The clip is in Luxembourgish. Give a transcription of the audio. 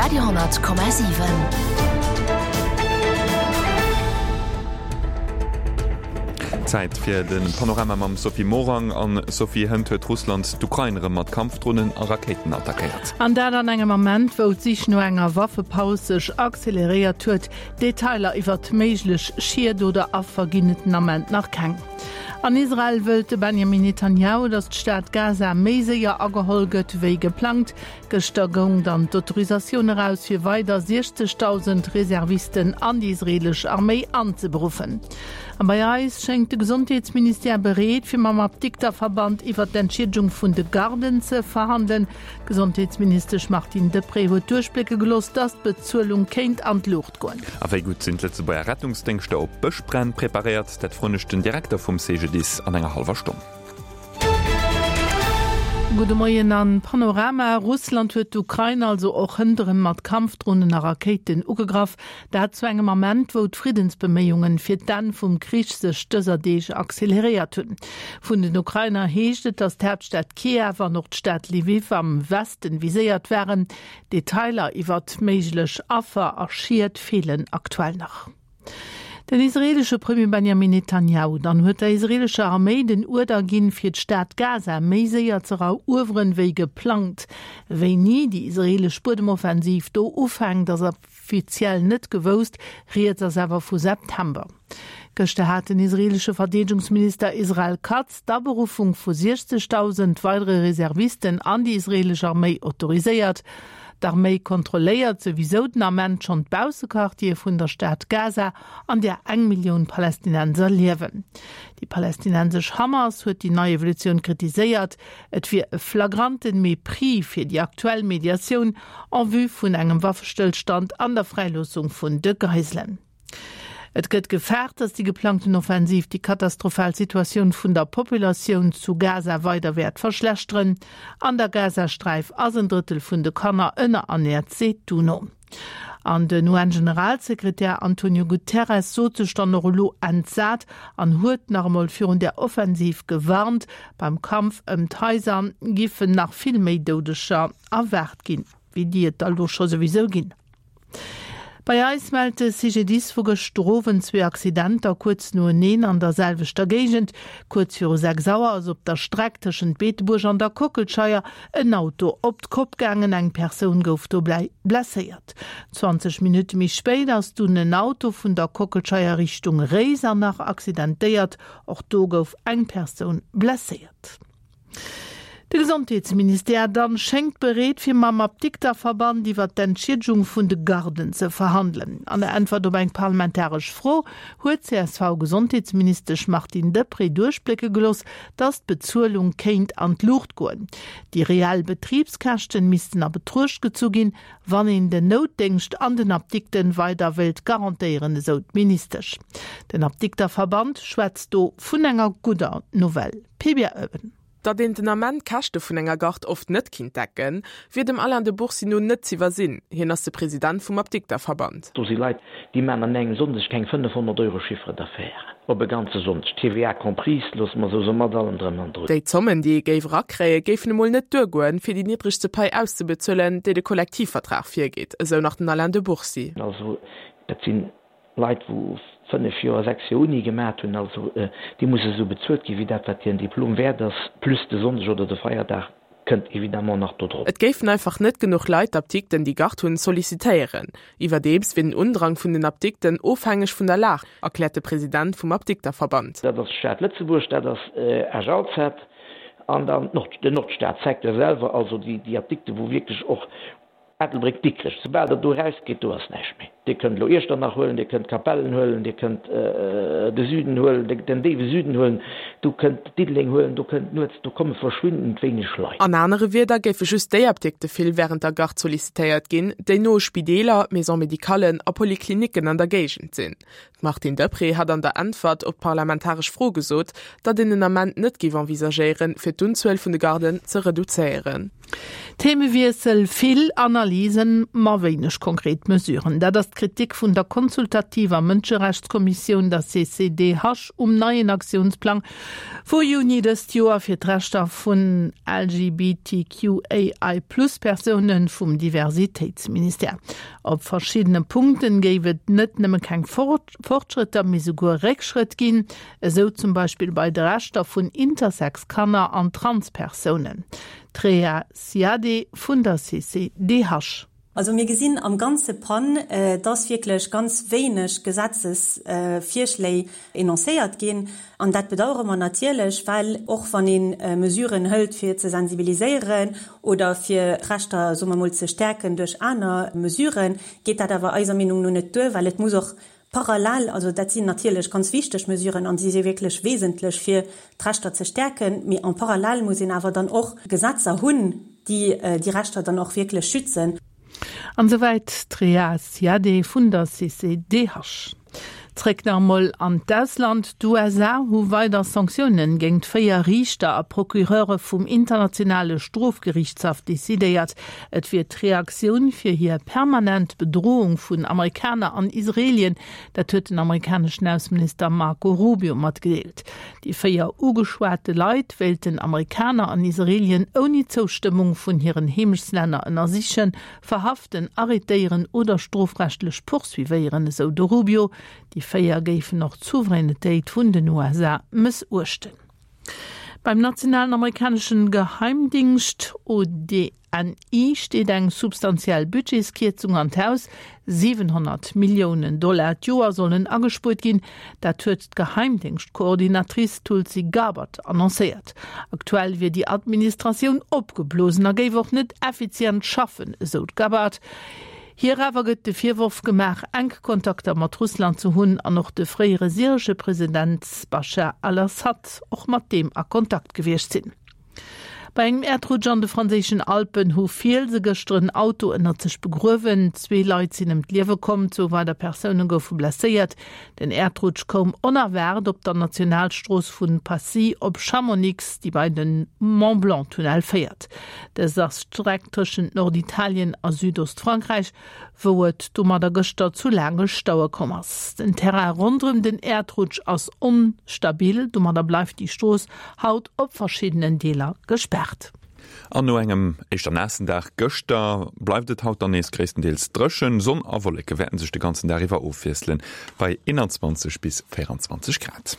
Radio 10,7. Zäit fir de Panorama mam Sophie Morang. An Sophie, hënt huet Russland d'Ukrain erëm mat Kampfdronen a Rakéiten attackéiert. An dat an engem Ament, wou d'Sich no enger Waffepaus sech acceleréiert huet. Detailer iwwert méiglech Schied oder Affer ginn et den Ament nach keng. An Israel wëllt de Benjamin Netanjahu, datt d'Stad Gaza méi séier ageholl gëtt wéi geplangt. Gëschter goung dann d'Autorisatioun eraus, fir weider 60.000 Reservisten an déi israeelesch Arméi anzeberuffen. A bei eis schéngt de Gesondheetsministère bereet, fir mam Apdikterverband iwwert d'Entschiedegung vun de Garden ze verhandelen. D'Gesondheetsministesch Martine Deprez huet duerchblécke gelooss, datt d'Bezuelung kéint an d'Luucht goen. A wéi gutt sinn d'Lëtzebuerger Rettungsdéngschter op Bëschbränn preparéiert? Dat froen ech den Direkter vum CGDIS an enger hallwer Stonn. Gudde Moien an Panorama. Russland huet d'Ukrain also och hënt erëm mat Kampfdronen a Rakéiten ugegraff. Dat zu engem Ament, wou d'Friddensbeméiungen fir d'Enn vum Krich sech dëser Deeg acceleréiert hunn. Vun den Ukrainer heescht et, datt d'Haaptstad Kiew an och d'Stad Lwiw am Westen viséiert waren. Detailer iwwert méiglech Affer a Schied feelen aktuell nach. Den israeelesche Premier Benjamin Netanjahu dann huet der israeelescher Arméi den Uerder ginn, fir d'Stad Gaza méi séier ze erueweren, wéi geplangt. Wéini déi israeelesch Buedemoffensiv do ufänkt, ass offiziell net gewousst, rieds ass awer vu September. Gëschter hat den israeelesche Verdeedegungsminister Israel Katz d'Aberuffung vu 60.000 weidere Reservisten an déi israeelesch Arméi autoriséiert. D'Arméi kontrolléiert souwisou den Ament schonn d'Baussequartiere vun der Stad Gaza, an där eng Millioun Palästinenser liewen. Déi palästinensesch Hamas huet déi nei Evolutioun kritiséiert. Et wier e flagranten Mépris fir déi aktuell Mediatioun en vue vun engem Waffestëllstand an der Fräiloossung vun de Geiselen. Et gëtt gefaart, datt déi geplangten Offensiv déi katastrophal Situatioun vun der Populatioun zu Gaza weider wäert verschlechteren. An der Gazasträif ass en Drëttel vun de Kanner ënnerernäert, seet d'UNO. An den UN-Generalsekretär Antonio Guterres sot sech dann och elo entsat an huet nach emol virun där Offensiv gewarnt. Beim Kampf ëm d'Haiser giffen nach vill méi Doudeger erwaart ginn, wéi déi et der elo scho souwisou ginn. Bei eis mellt de CGDIS vu gëschter Owend zwee Accidenter kuerz noeneen an der selwechter Géigend. Kuerz viru 6 Auer ass op der Streck tëschent Beetebuerg an der Kockelscheier en Auto op d'Kopp gaangen. Eng Persoun gouf dobäi blesséiert. 20 Minutte méi spéit ass dunn en Auto vun der Kockelscheier Richtung Réisernach accidentéiert. Och do gouf eng Persoun blesséiert. De Gesondheetsministère dann schéngt bereet fir mam Apdikterverband iwwer d'Entschiedegung vun de Garden ze verhandelen. An der Äntwert op eng parlamentaresch Fro huet d'CSV-Gesondheetsministesch Martine Deprez duerchblécke gelooss, datt d'Bezuelung kéint an d'Luucht goen. Déi reell Betribskäschten missten a Betruecht gezu ginn, wann een den Noutdéngscht an den Apdikten weider wéilt garantéieren, esou d'Ministesch. Den Apdikterverband schwätzt do vun enger gudder Nouvelle. Pibia Oewen. Datt een den Ament d'Käschte vun enger Gard oft net kinnt decken, wier dem Alain de Bourcy no net z'iwwersinn. Hien ass de President vum Apdikterverband. Do si Leit, déi maachen an engem Sonndeg keng 500 Euro Chiffre d'affaires op e ganze Sonndeg, TVA comprise, loosse mer esou soen, mat allem drëm an drun. Déi Zommen, déi ee géif erakréien, géifen emol net duergoen, fir déi niddregste Pai auszebezuelen, déi de Kollektivvertrag virgeet, esou nach den Alain de Bourcy. Also dat sinn Leit wou 5 Joer, 6 Joer Uni gemat hunn, also déi musse sou bezuelt ginn, wéi dat wat hiren Diplom wäert ass, plus de Sonndeg oder de Feierdag kënnt évidemment nach do drop. Et géifen einfach net genuch Leit d'Apdikten, déi Gard hunn, sollicitéieren. Iwwerdeems wier den Undrang vun den Apdikten ofhängeg vun der Lag, erkläert de President vum Apdikterverband. Dat ass d'Stad Lëtzebuerg, dat ass Esch-Alzette an dann den Nordstad-Secteur selwer, also déi Apdikte wou wierklech och Ettelbréck, Dikrech, soubal der do erausgeet, do ass näischt méi. Dir kënnt elo Iechternach huelen, Dir kënnt Capellen huelen, Dir kënnt de Süden huelen, den déiwe Süden huelen, do kënnt Diddeleng huelen, do kënnt nuets, do komme verschwindend wéineg Leit. An anere Wierder géife just déi Apdikte vill wärend der Garde sollicitéiert ginn, déi no u Spideeler, Maisons médicallen a Poliklinicken an der Géigend sinn. D'Martine Deprez hat an der Äntwert op d'parlamentaresch Fro gesot, datt een den Ament net géif envisagéieren, fir d'Unzuel vun de Garden ze reduzéieren. Themewiessel, Vill Analysen, ma wéineg konkret Mesuren. Dat ass d'Kritik vun der consultativer Mënscherechtskommissioun, der CCDH, um neien Aktiounsplang vu Juni dëst Joer fir d'Rechter vun LGBTQAI-Plus-Persoune vum Diversitéitsministère. Op verschiddene Punkten géif et net nëmme keng Fortschrëtter, mee souguer Réckschrëtt ginn, esou zum Beispill bei de Rechter vun Intersex-Kanner an Trans-Persounen. D'Rhéa Ziadé vun der CCDH. Also mir gesinn am ganze PAN, dass wierklech ganz wéineg Gesetzesvirschléi enoncéiert ginn. An dat bedauere mer natierlech, well och wann ee Mesuren hëlt, fir ze sensibiliséieren oder fir d'Rechter, soe mer emol, ze stäerken duerch aner Mesuren, geet dat awer eiser Meenung no net duer, well et muss och Parallel, also dat sinn natierlech ganz wichteg Mesuren an si si wierklech wesentlech, fir d'Rechter ze stäerken, mee en parallèle muss een awer dann och Gesetzer hunn, déi déi Rechter dann och wierklech schützen. An esouwäit d'Rhéa Ziadé vun der CCDH. Zréck nach emol an d'Ausland, D'USA hu weider Sanktiounen géingt 4 Riichter a Procureure vum internationale Strofgeriichtshaff decidéiert. Et wier d'Reaktioun fir hir permanent Bedrohung vun Amerikaner an Israelien, dat huet den amerikaneschen Ausseminister Marco Rubio matgedeelt. Déi 4 ugeschwate Leit wéilten Amerikaner an Israelien ouni Zoustëmmung vun hiren Heemechtslänner ënnersichen, verhaften, arrêtéieren oder strofrechtlech poursuivéieren, esou de Rubio. Déi 4 géifen och d'Souveränetéit vun den USA mëssuechten. Beim nationalen amerikaneschen Geheimdingscht ODNI steet eng substantiell Budgetskierzung an d'Haus. 700 Milliounen Dollar d'Joer sollen agespuert ginn. Dat huet d'Geheimdéngschtkoordinatrice Tulsi Gabbard annoncéiert. Aktuell wier déi Administratioun opgeblosen a géif och net effizient schaffen, esou d'Gabbard. Hir awer gëtt de Virworf gemaach, enk Kontakter mat Russland ze hunn an och de fréiere syresche President Baschar al-Assad och mat deem a Kontakt gewiescht sinn. Bei engem Äerdrutsch an de franséischen Alpen hu Fielse gëschter en Auto ënnert sech begruewen. Zwee Leit sinn ëm d'Liewe komm, zwou weider Persoune goufe blesséiert. Den Äerdrutsch koum onerwaart op der Nationalstrooss vu Passy op Chamonix, déi bei de Mont-Blanc-Tunnel féiert. Dëst ass d'Streck tëschent Norditalien a Südostfrankräich, wou et domadder gëschter zu laange Staue komm ass. Den Terrain ronderëm den Äerdrutsch ass onstabil, domadder bleift déi Strooss haut op verschiddenen Deeler gespaart. An no engem éischter naassen Dag gëschter bleift et haut dann nees gréisstendeels dréchen. Sonn a Wolleke wäerten sech de ganzen Dag iwwer ofwiesselen bei 21 bis 24 Grad.